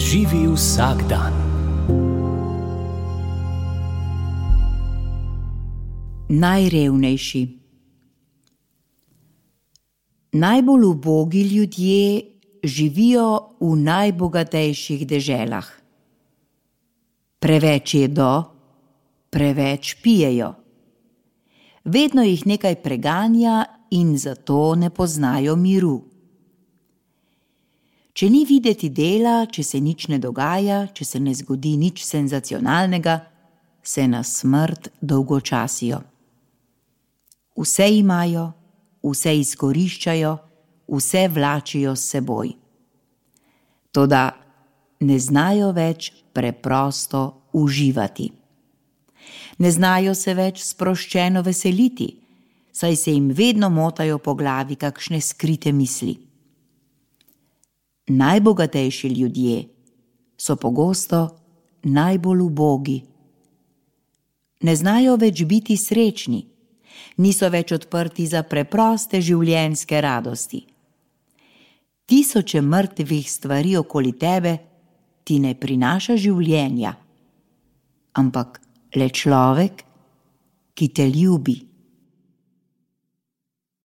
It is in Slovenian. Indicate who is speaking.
Speaker 1: Živi vsak dan.
Speaker 2: Najrevnejši. Najbolj ubogi ljudje živijo v najbogatejših deželah. Preveč jedo, preveč pijejo. Vedno jih nekaj preganja in zato ne poznajo miru. Če ni videti dela, če se nič ne dogaja, če se ne zgodi nič senzacionalnega, se na smrt dolgočasijo. Vse imajo, vse izkoriščajo, vse vlačijo s seboj. Toda ne znajo več preprosto uživati. Ne znajo se več sproščeno veseliti, saj se jim vedno motajo po glavi kakšne skrite misli. Najbogatejši ljudje so pogosto najbolj ubogi. Ne znajo več biti srečni, niso več odprti za preproste življenjske radosti. Tisoče mrtvih stvari okoli tebe ti ne prinaša življenja, ampak le človek, ki te ljubi.